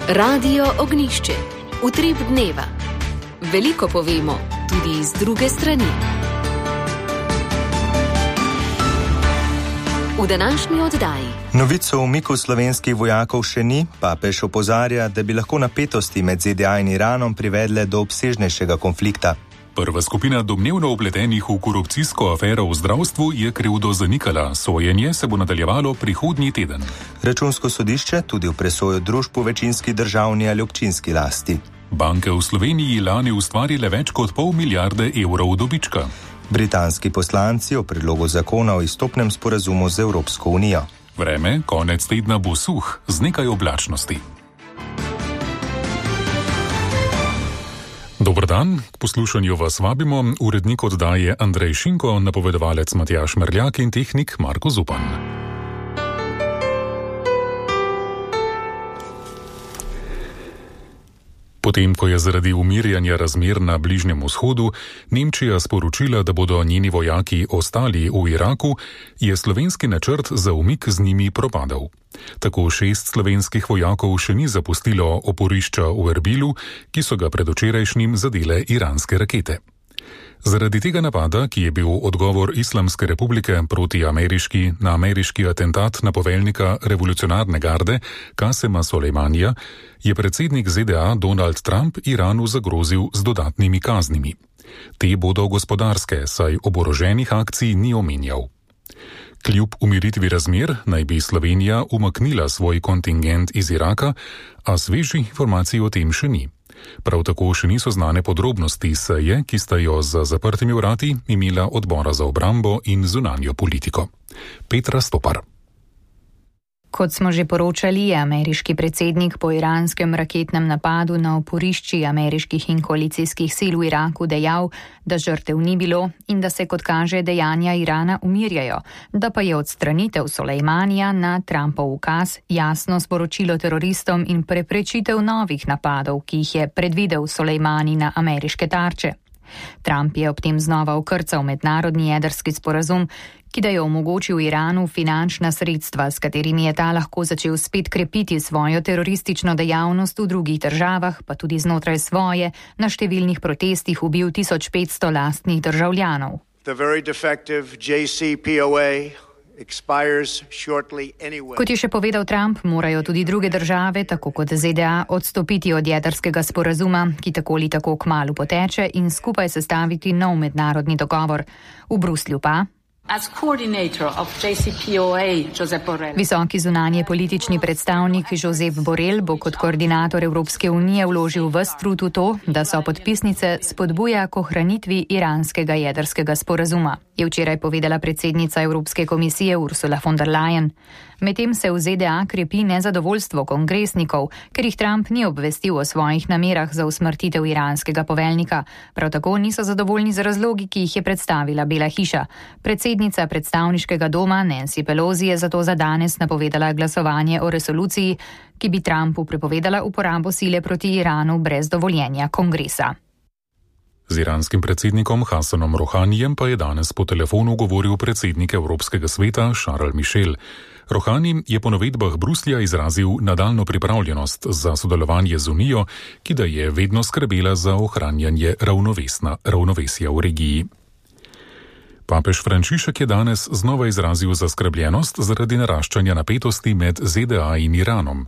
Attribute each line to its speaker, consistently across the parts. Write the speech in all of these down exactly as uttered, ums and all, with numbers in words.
Speaker 1: Radio Ognjišče. Utrip dneva. Veliko povemo, tudi iz druge strani. V današnji oddaji.
Speaker 2: Novico o umiku slovenskih vojakov še ni, papež opozarja, da bi lahko napetosti med Z D A in Iranom privedle do obsežnejšega konflikta.
Speaker 3: Prva skupina domnevno vpletenih v korupcijsko afero v zdravstvu je krivdo zanikala. Sojenje se bo nadaljevalo prihodnji teden.
Speaker 2: Računsko sodišče tudi v presojo družb v večinski državni ali občinski lasti.
Speaker 3: Banke v Sloveniji lani ustvarile več kot pol milijarde evrov dobička.
Speaker 2: Britanski poslanci o predlogu zakona o izstopnem sporazumu z Evropsko unijo.
Speaker 3: Vreme konec tedna bo suh z nekaj oblačnosti. Dober dan, k poslušanju vas vabimo, urednik oddaje Andrej Šinko, napovedovalec Matjaž Merljak in tehnik Marko Zupan. Potem, ko je zaradi umirjanja razmer na Bližnjem vzhodu Nemčija sporočila, da bodo njeni vojaki ostali v Iraku, je slovenski načrt za umik z njimi propadel. Tako šest slovenskih vojakov še ni zapustilo oporišča v Erbilu, ki so ga predvčerajšnjim zadele iranske rakete. Zaradi tega napada, ki je bil odgovor Islamske republike proti ameriški na ameriški atentat na poveljnika revolucionarne garde Kasema Solejmanija, je predsednik Z D A Donald Trump Iranu zagrozil z dodatnimi kaznimi. Te bodo gospodarske, saj oboroženih akcij ni omenjal. Kljub umiritvi razmer naj bi Slovenija umaknila svoj kontingent iz Iraka, a svežih informacij o tem še ni. Prav tako še niso znane podrobnosti seje, ki sta jo za zaprtimi vrati imela odbora za obrambo in zunanjo politiko. Petra Stopar.
Speaker 4: Kot smo že poročali, je ameriški predsednik po iranskem raketnem napadu na oporišči ameriških in koalicijskih sil v Iraku dejal, da žrtev ni bilo in da se, kot kaže, dejanja Irana umirjajo, da pa je odstranitev Solejmanija na Trumpov ukaz jasno sporočilo teroristom in preprečitev novih napadov, ki jih je predvidel Solejmani na ameriške tarče. Trump je ob tem znova okrcal mednarodni jedrski sporazum, ki da je omogočil Iranu finančna sredstva, s katerimi je ta lahko začel spet krepiti svojo teroristično dejavnost v drugih državah, pa tudi znotraj svoje, na številnih protestih ubil tisoč petsto lastnih državljanov. Kot je še povedal Trump, morajo tudi druge države, tako kot Z D A, odstopiti od jedrskega sporazuma, ki tako ali tako kmalu poteče, in skupaj sestaviti nov mednarodni dogovor. V Bruslju pa visoki zunanje politični predstavnik Josep Borrell bo kot koordinator Evropske unije vložil ves trud v to, da so podpisnice spodbuja k ohranitvi iranskega jedrskega sporazuma, je včeraj povedala predsednica Evropske komisije Ursula von der Leyen. Medtem se v Z D A krepi nezadovoljstvo kongresnikov, ker jih Trump ni obvestil o svojih namerah za usmrtitev iranskega poveljnika. Prav tako niso zadovoljni z razlogi, ki jih je predstavila Bela hiša. Predsednica predstavniškega doma Nancy Pelosi je zato za danes napovedala glasovanje o resoluciji, ki bi Trumpu prepovedala uporabo sile proti Iranu brez dovoljenja kongresa.
Speaker 3: Z iranskim predsednikom Hasanom Rohanijem pa je danes po telefonu govoril predsednik Evropskega sveta Charles Michel. Rohani je po navedbah Bruslja izrazil nadaljno pripravljenost za sodelovanje z Unijo, ki da je vedno skrbela za ohranjanje ravnovesja v regiji. Papež Frančišek je danes znova izrazil zaskrbljenost zaradi naraščanja napetosti med Z D A in Iranom.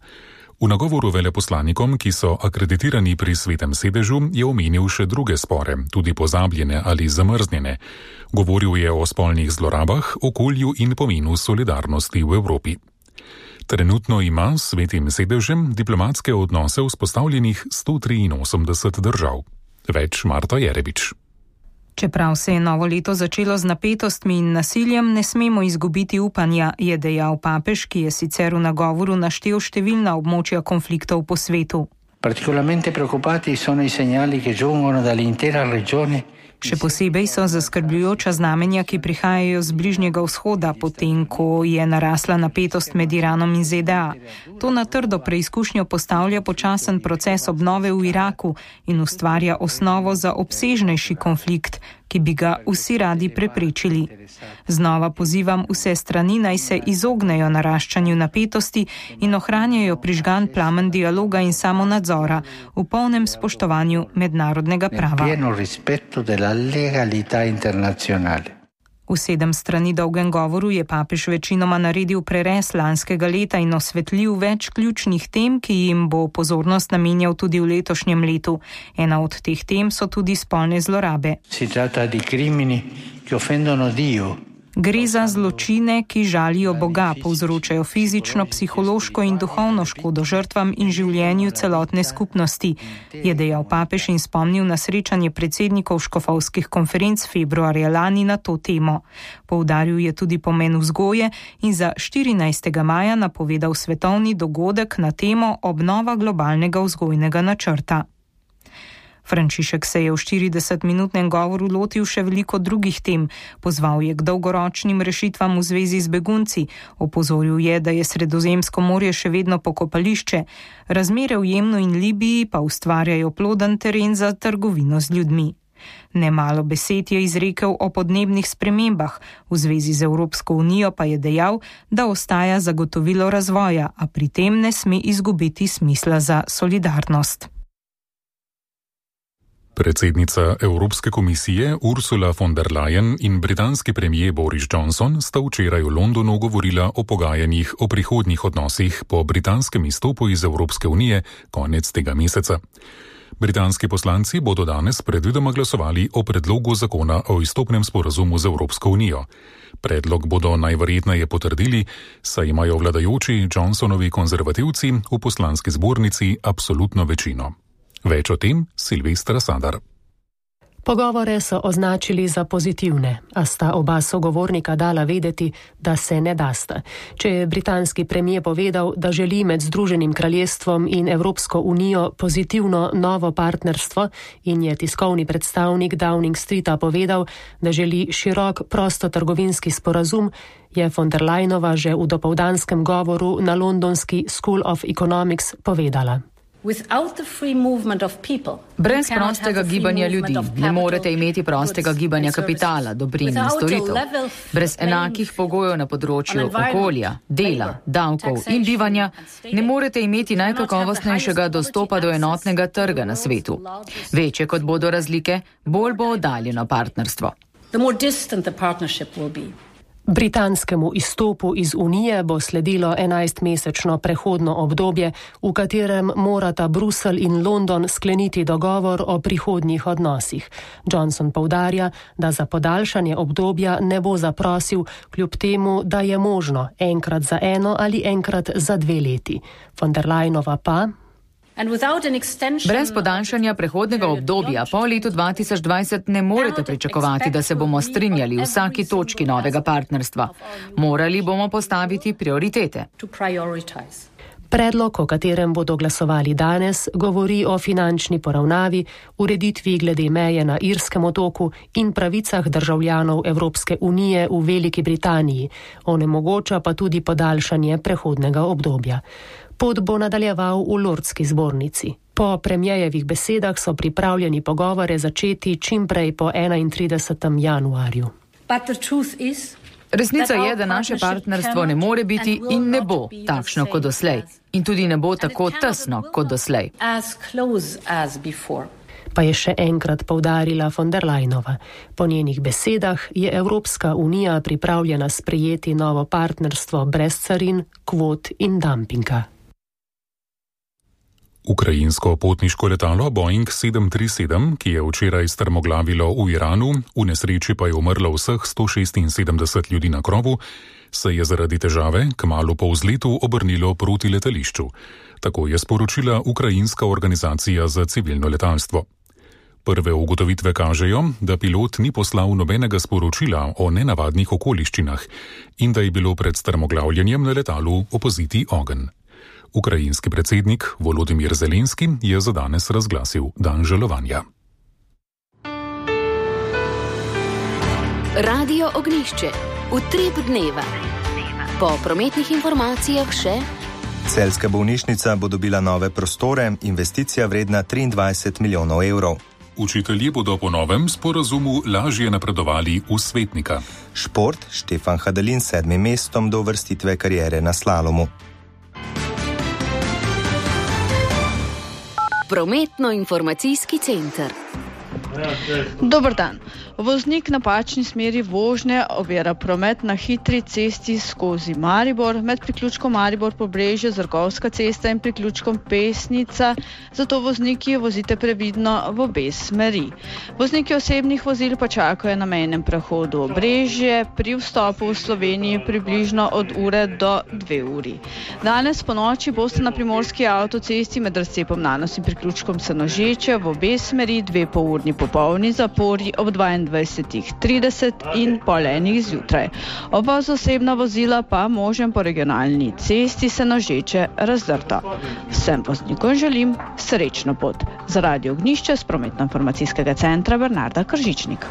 Speaker 3: V nagovoru veleposlanikom, ki so akreditirani pri Svetem sedežu, je omenil še druge spore, tudi pozabljene ali zamrznjene. Govoril je o spolnih zlorabah, okolju in pomenu solidarnosti v Evropi. Trenutno ima s Svetim sedežem diplomatske odnose vzpostavljenih sto triinosemdeset držav. Več Marta Jerebič.
Speaker 5: Čeprav se je novo leto začelo z napetostmi in nasiljem, ne smemo izgubiti upanja, je dejal papež, ki je sicer v nagovoru naštel številna območja konfliktov po svetu.
Speaker 6: Particolarmente preoccupati sono i segnali che giungono dall'intera regione
Speaker 5: Še posebej so zaskrbljujoča znamenja, ki prihajajo z Bližnjega vzhoda, potem ko je narasla napetost med Iranom in Z D A. To na trdo preizkušnjo postavlja počasen proces obnove v Iraku in ustvarja osnovo za obsežnejši konflikt, ki bi ga vsi radi preprečili. Znova pozivam vse strani, naj se izognejo naraščanju napetosti in ohranjajo prižgan plamen dialoga in samonadzora v polnem spoštovanju mednarodnega prava. V sedem strani dolgem govoru je papež večinoma naredil prerez lanskega leta in osvetlil več ključnih tem, ki jim bo pozornost namenjal tudi v letošnjem letu. Ena od teh tem so tudi spolne zlorabe. Gre za zločine, ki žalijo Boga, povzročajo fizično, psihološko in duhovno škodo žrtvam in življenju celotne skupnosti, je dejal papež in spomnil na srečanje predsednikov škofovskih konferenc februarja lani na to temo. Poudaril je tudi pomen vzgoje in za štirinajstega maja napovedal svetovni dogodek na temo obnova globalnega vzgojnega načrta. Frančišek se je v štiridesetminutnem govoru lotil še veliko drugih tem, pozval je k dolgoročnim rešitvam v zvezi z begunci, opozoril je, da je Sredozemsko morje še vedno pokopališče, razmere v Jemnu in Libiji pa ustvarjajo ploden teren za trgovino z ljudmi. Nemalo besed je izrekel o podnebnih spremembah, v zvezi z Evropsko unijo pa je dejal, da ostaja zagotovilo razvoja, a pri tem ne sme izgubiti smisla za solidarnost.
Speaker 3: Predsednica Evropske komisije Ursula von der Leyen in britanski premijer Boris Johnson sta včeraj v Londonu govorila o pogajanjih o prihodnjih odnosih po britanskem izstopu iz Evropske unije konec tega meseca. Britanski poslanci bodo danes predvidoma glasovali o predlogu zakona o izstopnem sporazumu z Evropsko unijo. Predlog bodo najverjetneje potrdili, saj imajo vladajoči Johnsonovi konzervativci v poslanski zbornici absolutno večino. Več o tem Silvestra Sadar.
Speaker 6: Pogovore so označili za pozitivne, a sta oba sogovornika dala vedeti, da se ne dasta. Če je britanski premijer povedal, da želi med Združenim kraljestvom in Evropsko unijo pozitivno novo partnerstvo in je tiskovni predstavnik Downing Streeta povedal, da želi širok prostotrgovinski sporazum, je von der Leyenova že v dopoldanskem govoru na londonski School of Economics povedala.
Speaker 7: Brez prostega gibanja ljudi ne morete imeti prostega gibanja kapitala, dobrin in storitev. Brez enakih pogojev na področju okolja, dela, davkov in bivanja ne morete imeti najkakovostnejšega dostopa do enotnega trga na svetu. Večje kot bodo razlike, bolj bo oddaljeno partnerstvo.
Speaker 6: Britanskemu izstopu iz Unije bo sledilo enajstmesečno prehodno obdobje, v katerem morata Bruselj in London skleniti dogovor o prihodnjih odnosih. Johnson poudarja, da za podaljšanje obdobja ne bo zaprosil, kljub temu, da je možno enkrat za eno ali enkrat za dve leti. Von der Leyenova pa...
Speaker 7: Brez podaljšanja prehodnega obdobja po letu dva tisoč dvajset ne morete pričakovati, da se bomo strinjali v vsaki točki novega partnerstva. Morali bomo postaviti prioritete.
Speaker 6: Predlog, o katerem bodo glasovali danes, govori o finančni poravnavi, ureditvi glede meje na Irskem otoku in pravicah državljanov Evropske unije v Veliki Britaniji, onemogoča pa tudi podaljšanje prehodnega obdobja. Pot bo nadaljeval v Lordski zbornici. Po premijejevih besedah so pripravljeni pogovore začeti čim prej po enaintridesetem januarju.
Speaker 7: Resnica je, da naše partnerstvo ne more biti in ne bo takšno kot doslej. In tudi ne bo tako tesno kot doslej.
Speaker 6: Pa je še enkrat poudarila von der Leyenova. Po njenih besedah je Evropska unija pripravljena sprejeti novo partnerstvo brez carin, kvot in dampinga.
Speaker 3: Ukrajinsko potniško letalo Boeing sedem tri sedem, ki je včeraj strmoglavilo v Iranu, v nesreči pa je umrlo vseh sto šestinsedemdeset ljudi na krovu, se je zaradi težave kmalu po vzletu obrnilo proti letališču. Tako je sporočila Ukrajinska organizacija za civilno letalstvo. Prve ugotovitve kažejo, da pilot ni poslal nobenega sporočila o nenavadnih okoliščinah in da je bilo pred strmoglavljenjem na letalu opaziti ogenj. Ukrajinski predsednik Volodimir Zelenski je za danes razglasil dan žalovanja.
Speaker 1: Radio Ognjišče, utrip dneva. Po prometnih informacijah še:
Speaker 2: Celjska bolnišnica bo dobila nove prostore, investicija vredna triindvajset milijonov evrov.
Speaker 3: Učitelji bodo po novem sporazumu lažje napredovali v svetnika.
Speaker 2: Šport, Štefan Hadalin s sedmim mestom do uvrstitve kariere na slalomu.
Speaker 1: Prometno-informacijski center.
Speaker 8: Dober dan. Voznik napačni smeri vožnje ovira promet na hitri cesti skozi Maribor, med priključkom Maribor-Pobrežje, Zrgovska cesta in priključkom Pesnica, zato vozniki vozite previdno v obe smeri. Vozniki osebnih vozil pa čakajo na mejnem prehodu Obrežje, pri vstopu v Sloveniji približno od ure do dve uri. Danes po noči boste na primorski avtocesti med razcepom Nanos in priključkom Senožeče v obe smeri dve polurni popolni zapori ob dvaindvajset trideset in pol enih zjutraj. Oba z osebna vozila pa možen po regionalni cesti Senožeče razdrto. Vsem voznikom želim srečno pot. Za Radio Ognjišče z prometno-informacijskega centra Bernarda Kržičnik.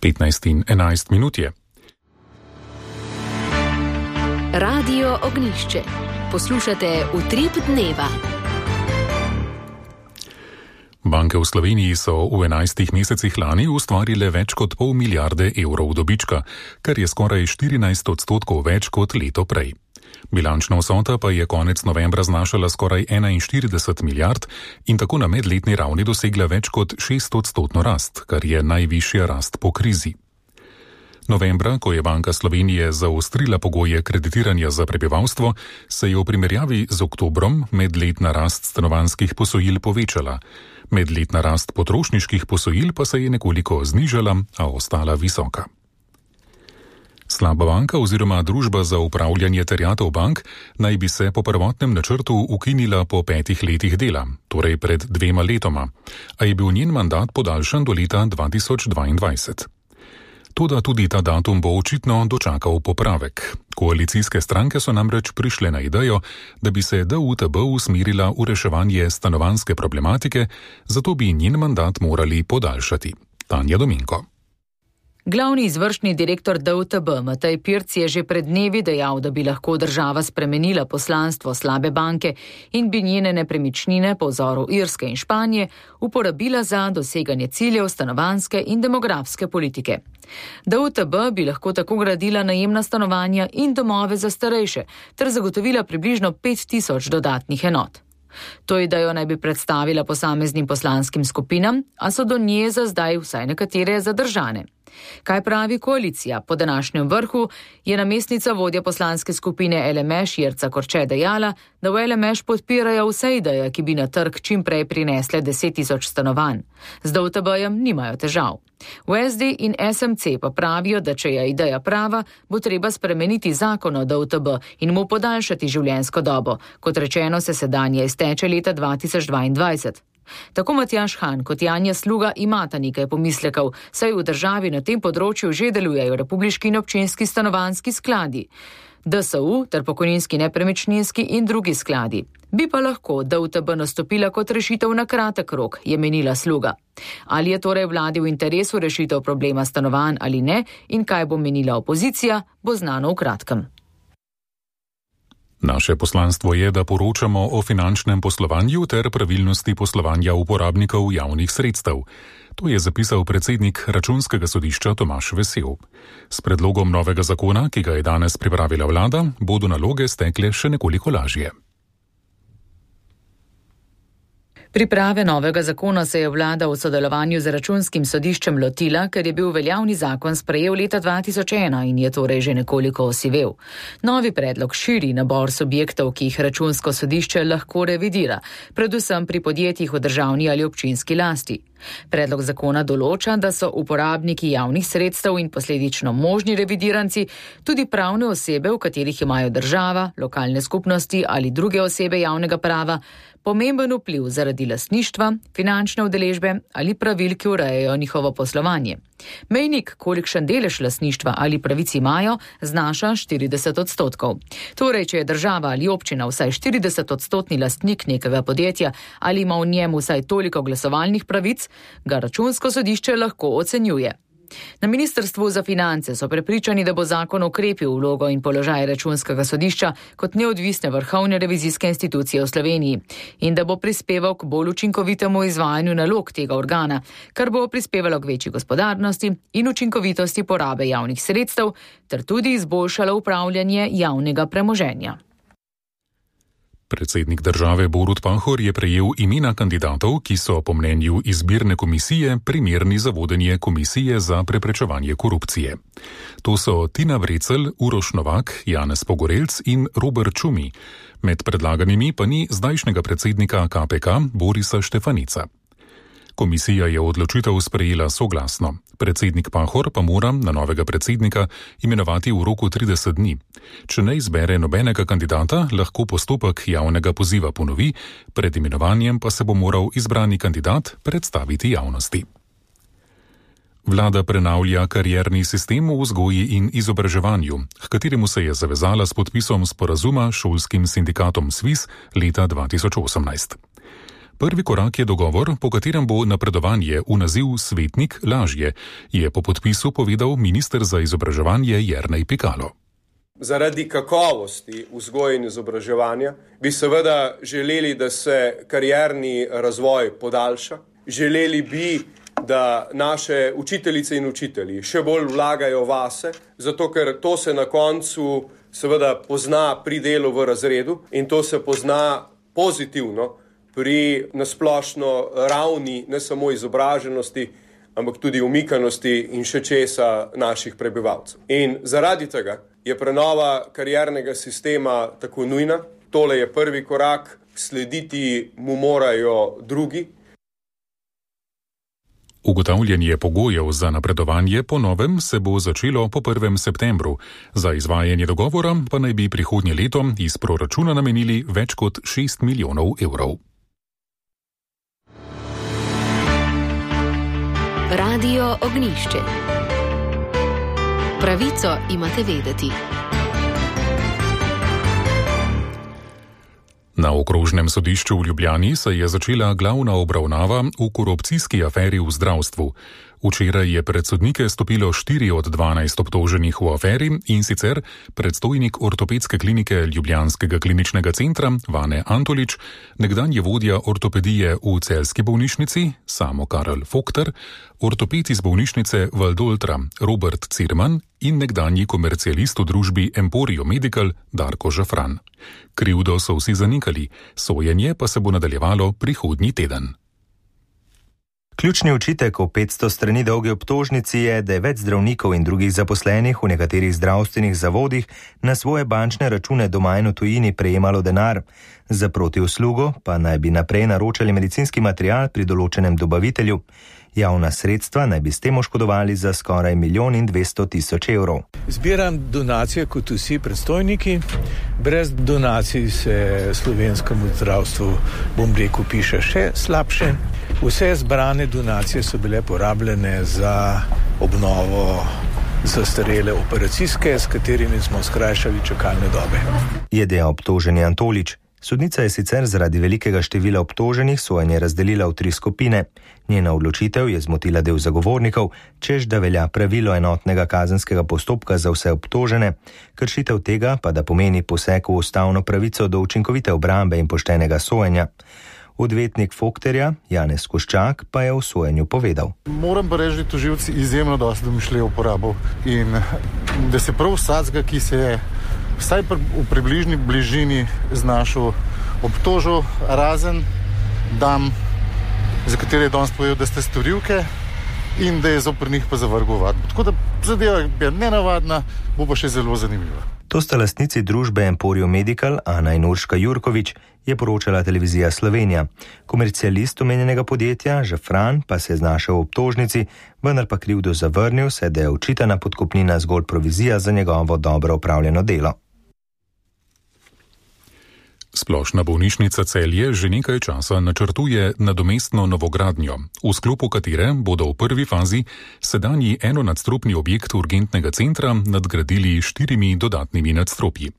Speaker 3: petnajst in enajst minut je.
Speaker 1: Radio Ognjišče. Poslušate utrip dneva.
Speaker 3: Banke v Sloveniji so v enajstih mesecih lani ustvarile več kot pol milijarde evrov dobička, kar je skoraj štirinajst odstotkov več kot leto prej. Bilančna vsota pa je konec novembra znašala skoraj enainštirideset milijard in tako na medletni ravni dosegla več kot šest odstotno rast, kar je najvišja rast po krizi. Novembra, ko je Banka Slovenije zaostrila pogoje kreditiranja za prebivalstvo, se je v primerjavi z oktobrom medletna rast stanovanjskih posojil povečala. Medletna rast potrošniških posojil pa se je nekoliko znižala, a ostala visoka. Slaba banka oziroma družba za upravljanje terjatev bank naj bi se po prvotnem načrtu ukinila po petih letih dela, torej pred dvema letoma, a je bil njen mandat podaljšan do leta dva tisoč dvaindvajset. Toda tudi ta datum bo očitno dočakal popravek. Koalicijske stranke so namreč prišle na idejo, da bi se D U T B usmerila v reševanje stanovanjske problematike, zato bi njen mandat morali podaljšati. Tanja Dominko.
Speaker 7: Glavni izvršni direktor D U T B Matej Pirc je že pred dnevi dejal, da bi lahko država spremenila poslanstvo slabe banke in bi njene nepremičnine po vzoru Irske in Španije uporabila za doseganje ciljev stanovanjske in demografske politike. D U T B bi lahko tako gradila najemna stanovanja in domove za starejše ter zagotovila približno pet tisoč dodatnih enot. To idejo naj bi predstavila posameznim poslanskim skupinam, a so do nje za zdaj vsaj nekatere zadržane. Kaj pravi koalicija? Po današnjem vrhu je namestnica vodja poslanske skupine L M Š Jerca Korče dejala, da v L M Š podpirajo vse ideje, ki bi na trg čim prej prinesle deset tisoč stanovanj. Z D U T B-jem nimajo težav. V S D in S M C pa pravijo, da če je ideja prava, bo treba spremeniti zakon o D U T B in mu podaljšati življenjsko dobo. Kot rečeno, se sedanje izteče leta dva tisoč dvaindvajset. Tako Matjaž Han kot Janja Sluga imata nekaj pomislekov, saj v državi na tem področju že delujejo republiški in občinski stanovanjski skladi, D S U ter pokojninski nepremičninski in drugi skladi. Bi pa lahko D U T B nastopila kot rešitev na kratek rok, je menila Sluga. Ali je torej vladi v interesu rešitev problema stanovanj ali ne in kaj bo menila opozicija, bo znano v kratkem.
Speaker 3: Naše poslanstvo je, da poročamo o finančnem poslovanju ter pravilnosti poslovanja uporabnikov javnih sredstev. To je zapisal predsednik Računskega sodišča Tomaž Vesel. S predlogom novega zakona, ki ga je danes pripravila vlada, bodo naloge stekle še nekoliko lažje.
Speaker 7: Priprave novega zakona se je vlada v sodelovanju z Računskim sodiščem lotila, ker je bil veljavni zakon sprejel leta dva tisoč ena in je torej že nekoliko osivel. Novi predlog širi nabor subjektov, ki jih Računsko sodišče lahko revidira, predvsem pri podjetjih v državni ali občinski lasti. Predlog zakona določa, da so uporabniki javnih sredstev in posledično možni revidiranci tudi pravne osebe, v katerih imajo država, lokalne skupnosti ali druge osebe javnega prava pomemben vpliv zaradi lastništva, finančne udeležbe ali pravil, ki urejajo njihovo poslovanje. Mejnik, kolikšen delež lastništva ali pravic imajo, znaša štirideset odstotkov. Torej, če je država ali občina vsaj štirideset odstotni lastnik nekega podjetja ali ima v njem vsaj toliko glasovalnih pravic, ga računsko sodišče lahko ocenjuje. Na Ministrstvu za finance so prepričani, da bo zakon okrepil vlogo in položaj računskega sodišča kot neodvisne vrhovne revizijske institucije v Sloveniji in da bo prispeval k bolj učinkovitemu izvajanju nalog tega organa, kar bo prispevalo k večji gospodarnosti in učinkovitosti porabe javnih sredstev ter tudi izboljšalo upravljanje javnega premoženja.
Speaker 3: Predsednik države Borut Pahor je prejel imena kandidatov, ki so po mnenju izbirne komisije primerni za vodenje Komisije za preprečevanje korupcije. To so Tina Vrecelj, Uroš Novak, Janez Pogorelc in Robert Čumi. Med predlaganimi pa ni zdajšnjega predsednika K P K Borisa Štefanica. Komisija je odločitev sprejela soglasno. Predsednik Pahor pa mora na novega predsednika imenovati v roku trideset dni. Če ne izbere nobenega kandidata, lahko postopek javnega poziva ponovi, pred imenovanjem pa se bo moral izbrani kandidat predstaviti javnosti. Vlada prenavlja karierni sistem v vzgoji in izobraževanju, h kateremu se je zavezala s podpisom sporazuma s šolskim sindikatom SVIZ leta dva tisoč osemnajst. Prvi korak je dogovor, po katerem bo napredovanje v naziv svetnik lažje, je po podpisu povedal minister za izobraževanje Jernej Pikalo.
Speaker 9: Zaradi kakovosti vzgoje in izobraževanja bi seveda želeli, da se karierni razvoj podaljša. Želeli bi, da naše učiteljice in učitelji še bolj vlagajo vase, zato ker to se na koncu seveda pozna pri delu v razredu in to se pozna pozitivno pri nasplošno ravni ne samo izobraženosti, ampak tudi umikanosti in še česa naših prebivalcev. In zaradi tega je prenova kariernega sistema tako nujna. Tole je prvi korak, slediti mu morajo drugi.
Speaker 3: Ugotavljanje pogojev za napredovanje po novem se bo začelo po prvem septembru. Za izvajanje dogovora pa naj bi prihodnje leto iz proračuna namenili več kot šest milijonov evrov.
Speaker 1: Radio Ognjišče. Pravico imate vedeti.
Speaker 3: Na okrožnem sodišču v Ljubljani se je začela glavna obravnava v korupcijski aferi v zdravstvu. Včeraj je pred sodnike stopilo štiri od dvanajst obtoženih v aferi, in sicer predstojnik ortopedske klinike Ljubljanskega kliničnega centra Vane Antolič, nekdanji vodja ortopedije v celjski bolnišnici Samo Karel Fokter, ortoped iz bolnišnice Valdoltra Robert Cirman in nekdanji komercialist v družbi Emporio Medical Darko Žafran. Krivdo so vsi zanikali, sojenje pa se bo nadaljevalo prihodnji teden.
Speaker 2: Ključni očitek v petsto strani dolgi obtožnici je, da je več zdravnikov in drugih zaposlenih v nekaterih zdravstvenih zavodih na svoje bančne račune doma in v tujini prejemalo denar. Za protiuslugo pa naj bi naprej naročali medicinski material pri določenem dobavitelju. Javna sredstva naj bi s tem oškodovali za skoraj milijon in dvesto tisoč evrov.
Speaker 10: Zbiram donacije kot vsi predstojniki. Brez donacij se slovenskemu zdravstvu, bom rekel, piše še slabše. Vse zbrane donacije so bile porabljene za obnovo zastarele operacijske, s katerimi smo skrajšali čakalne dobe.
Speaker 2: Je dejal obtoženi Antolič. Sodnica je sicer zaradi velikega števila obtoženih sojenje razdelila v tri skupine. Njena odločitev je zmotila del zagovornikov, čež da velja pravilo enotnega kazenskega postopka za vse obtožene, kršitev tega pa da pomeni poseg v ustavno pravico do učinkovite obrambe in poštenega sojenja. Odvetnik Fokterja, Janez Koščak, pa je v sojenju povedal.
Speaker 11: Moram pa reči, da tožilci izjemno dosti domišljijo uporabo in da se prav vsakega, ki se je vsaj v približni bližini znašel obtožil, razen dam, za katere je danes povedal, da ste storilke in da je zoper njih pa zavrgel vadbo. Tako da zadeva je nenavadna, bo pa še zelo zanimiva.
Speaker 2: To sta lastnici družbe Emporio Medical, Ana in Urška Jurkovič, je poročala televizija Slovenija. Komercialist omenjenega podjetja, Žafran, pa se je znašel v obtožnici, vendar pa krivdo zavrnil, saj da je očitana podkupnina zgolj provizija za njegovo dobro opravljeno delo.
Speaker 3: Splošna bolnišnica Celje že nekaj časa načrtuje nadomestno novogradnjo, v sklopu katere bodo v prvi fazi sedanji enonadstropni objekt urgentnega centra nadgradili štirimi dodatnimi nadstropji.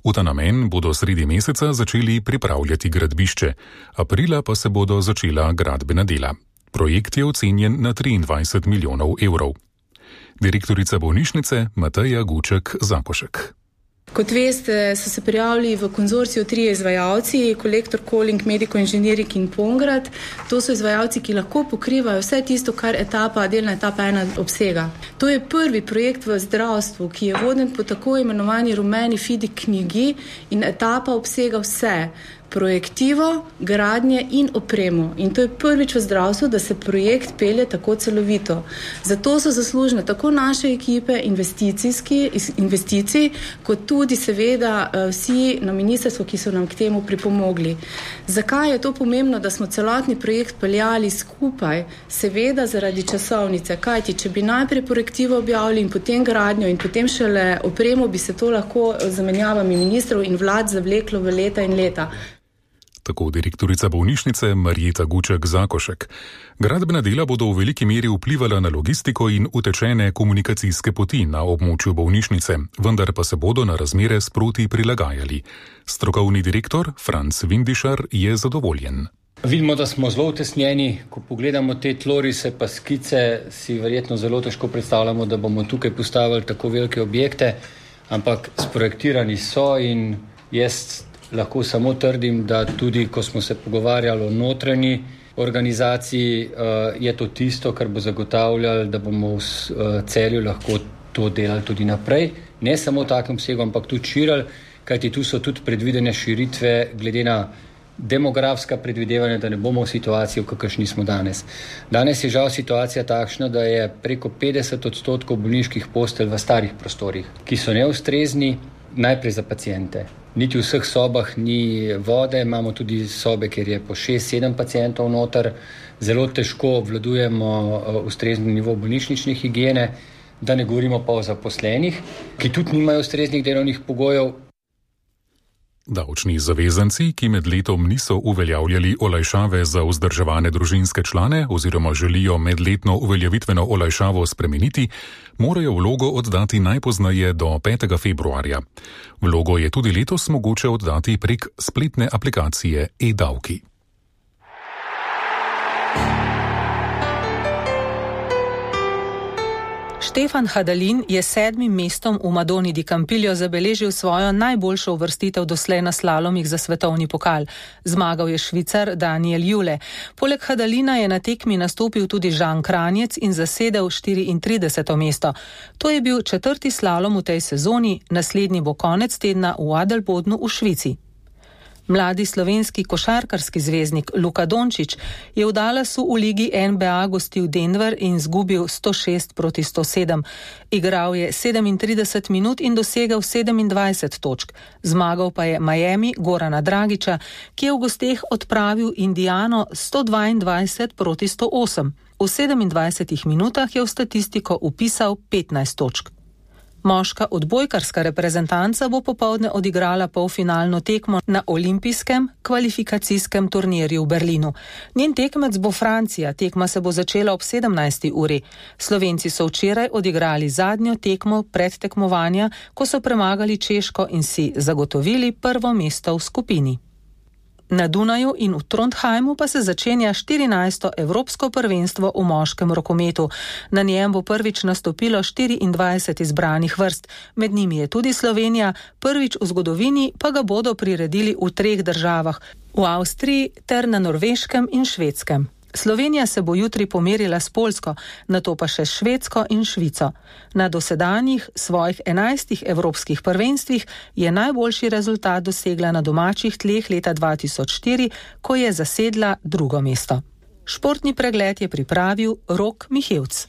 Speaker 3: V ta namen bodo sredi meseca začeli pripravljati gradbišče, aprila pa se bodo začela gradbena dela. Projekt je ocenjen na triindvajset milijonov evrov. Direktorica bolnišnice Mateja Guček-Zakošek.
Speaker 12: Kot veste, so se prijavili v konzorciju trije izvajalci, Kolektor, Koling, Medico Engineering in Pongrad. To so izvajalci, ki lahko pokrivajo vse tisto, kar etapa, delna etapa ena obsega. To je prvi projekt v zdravstvu, ki je voden po tako imenovani rumeni Fidi knjigi in etapa obsega vse. Projektivo, gradnje in opremo. In to je prvič v zdravstvu, da se projekt pelje tako celovito. Zato so zaslužne tako naše ekipe investicijski, investicij, kot tudi seveda vsi na ministrstvu, ki so nam k temu pripomogli. Zakaj je to pomembno, da smo celotni projekt peljali skupaj? Seveda zaradi časovnice. Kajti, če bi najprej projektivo objavili in potem gradnjo in potem šele opremo, bi se to lahko z zamenjavami ministrov in vlad zavleklo v leta in leta.
Speaker 3: Tako direktorica bolnišnice Marjeta Guček-Zakošek. Gradbena dela bodo v veliki meri vplivala na logistiko in utečene komunikacijske poti na območju bolnišnice, vendar pa se bodo na razmere sproti prilagajali. Strokovni direktor Franc Vindišar je zadovoljen.
Speaker 13: Vidimo, da smo zelo utesnjeni. Ko pogledamo te tlorise pa skice, si verjetno zelo težko predstavljamo, da bomo tukaj postavili tako velike objekte, ampak sprojektirani so in jaz lahko samo trdim, da tudi, ko smo se pogovarjali o notranji organizaciji, je to tisto, kar bo zagotavljalo, da bomo v Celju lahko to delali tudi naprej. Ne samo v takem obsegu, ampak tudi širili, kajti tu so tudi predvidene širitve glede na demografska predvidevanja, da ne bomo v situaciji, v kakršni smo danes. Danes je žal situacija takšna, da je preko petdeset odstotkov bolniških postelj v starih prostorih, ki so neustrezni najprej za paciente. Niti v vseh sobah ni vode, imamo tudi sobe, kjer je po šest sedem pacientov noter. Zelo težko obvladujemo ustrezni nivo bolnišnične higiene, da ne govorimo pa o zaposlenih, ki tudi nimajo ustreznih delovnih pogojev.
Speaker 3: Davčni zavezanci, ki med letom niso uveljavljali olajšave za vzdrževane družinske člane oziroma želijo medletno uveljavitveno olajšavo spremeniti, morajo vlogo oddati najpozneje do petega februarja. Vlogo je tudi letos mogoče oddati prek spletne aplikacije e-davki.
Speaker 5: Štefan Hadalin je sedmim mestom v Madoni di Campiglio zabeležil svojo najboljšo uvrstitev doslej na slalomih za svetovni pokal. Zmagal je Švicar Daniel Jule. Poleg Hadalina je na tekmi nastopil tudi Žan Kranjec in zasedel štiriintrideseto mesto. To je bil četrti slalom v tej sezoni, naslednji bo konec tedna v Adelbodnu v Švici. Mladi slovenski košarkarski zvezdnik Luka Dončić je v Dallasu v ligi N B A gostil Denver in zgubil sto šest proti sto sedem. Igral je sedemintrideset minut in dosegel sedemindvajset točk. Zmagal pa je Miami Gorana Dragića, ki je v gosteh odpravil Indiano sto dvaindvajset proti sto osem. V sedemindvajsetih minutah je v statistiko vpisal petnajst točk. Moška odbojkarska reprezentanca bo popoldne odigrala polfinalno tekmo na olimpijskem kvalifikacijskem turnirju v Berlinu. Njen tekmec bo Francija, tekma se bo začela ob sedemnajsti uri. Slovenci so včeraj odigrali zadnjo tekmo predtekmovanja, ko so premagali Češko in si zagotovili prvo mesto v skupini. Na Dunaju in v Trondheimu pa se začenja štirinajsto Evropsko prvenstvo v moškem rokometu. Na njem bo prvič nastopilo štiriindvajset izbranih vrst. Med njimi je tudi Slovenija, prvič v zgodovini pa ga bodo priredili v treh državah, v Avstriji ter na Norveškem in Švedskem. Slovenija se bo jutri pomerila s Poljsko, nato pa še s Švedsko in Švico. Na dosedanjih svojih enajstih evropskih prvenstvih je najboljši rezultat dosegla na domačih tleh leta dva tisoč štiri, ko je zasedla drugo mesto. Športni pregled je pripravil Rok Mihevc.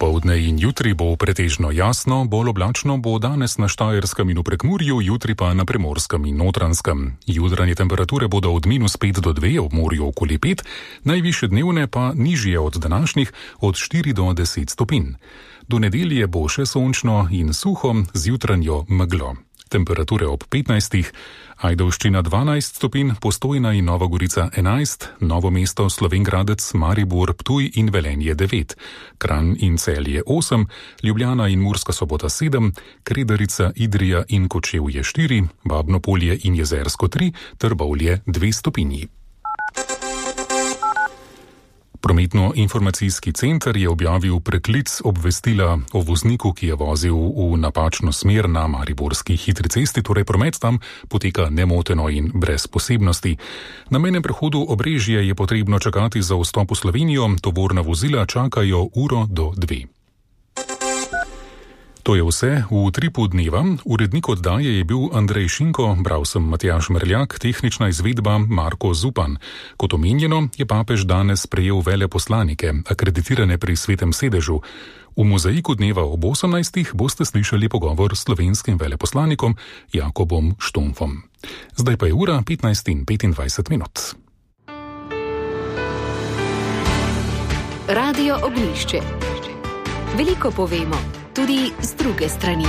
Speaker 3: Popoldne in jutri bo pretežno jasno, bolj oblačno bo danes na Štajerskem in v Prekmurju, jutri pa na Primorskem in Notranjskem. Jutranje temperature bodo od minus pet do dve, ob morju okoli pet, najvišje dnevne pa nižje od današnjih, od štiri do deset stopinj. Do nedelje bo še sončno in suho z jutranjo meglo. Temperature ob petnajstih, Ajdovščina dvanajst stopinj, Postojna in Nova Gorica enajst, Novo mesto, Slovenj Gradec, Maribor, Ptuj in Velenje devet, Kranj in Celje osem, Ljubljana in Murska Sobota sedem, Kredarica, Idrija in Kočevje štiri, Babno Polje in Jezersko tri, Trbovlje dve stopinji. Prometno-informacijski center je objavil preklic obvestila o vozniku, ki je vozil v napačno smer na mariborski hitri cesti, torej promet tam poteka nemoteno in brez posebnosti. Na mejnem prehodu Obrežje je potrebno čakati za vstop v Slovenijo, tovorna vozila čakajo uro do dve. To je vse v Utripu dneva. Urednik oddaje je bil Andrej Šinko, bral sem Matjaž Merljak, tehnična izvedba Marko Zupan. Kot omenjeno, je papež danes prejel veleposlanike, akreditirane pri Svetem sedežu. V mozaiku dneva ob osemnajstih boste slišali pogovor s slovenskim veleposlanikom Jakobom Štumfom. Zdaj pa je ura petnajst in petindvajset minut.
Speaker 1: Radio Ognjišče. Veliko povemo, tudi z druge strani.